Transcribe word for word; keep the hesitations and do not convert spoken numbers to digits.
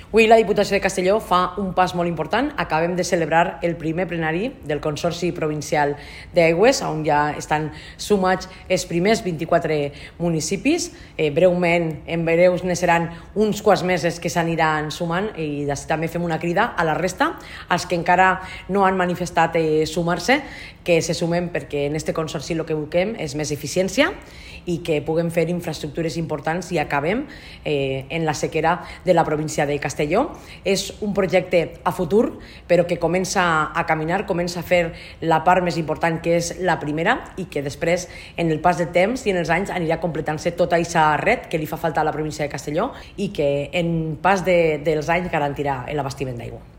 Avui la Diputació de Castelló fa un pas molt important. Acabem de celebrar el primer plenari del Consorci Provincial d'Aigües, on ja estan sumats els primers vint-i-quatre municipis. Eh, breument, en breus ne seran uns quants mesos que s'aniran sumant i també fem una crida a la resta, als que encara no han manifestat eh, sumar-se, que se sumen perquè en este Consorci el que busquem és més eficiència i que puguem fer infraestructures importants i acabem eh, en la sequera de la província de Castelló. És un projecte a futur, però que comença a caminar, comença a fer la part més important, que és la primera, i que després, en el pas del temps i en els anys, anirà completant-se tota aquesta red que li fa falta a la província de Castelló i que en pas de, dels anys garantirà l'abastiment d'aigua.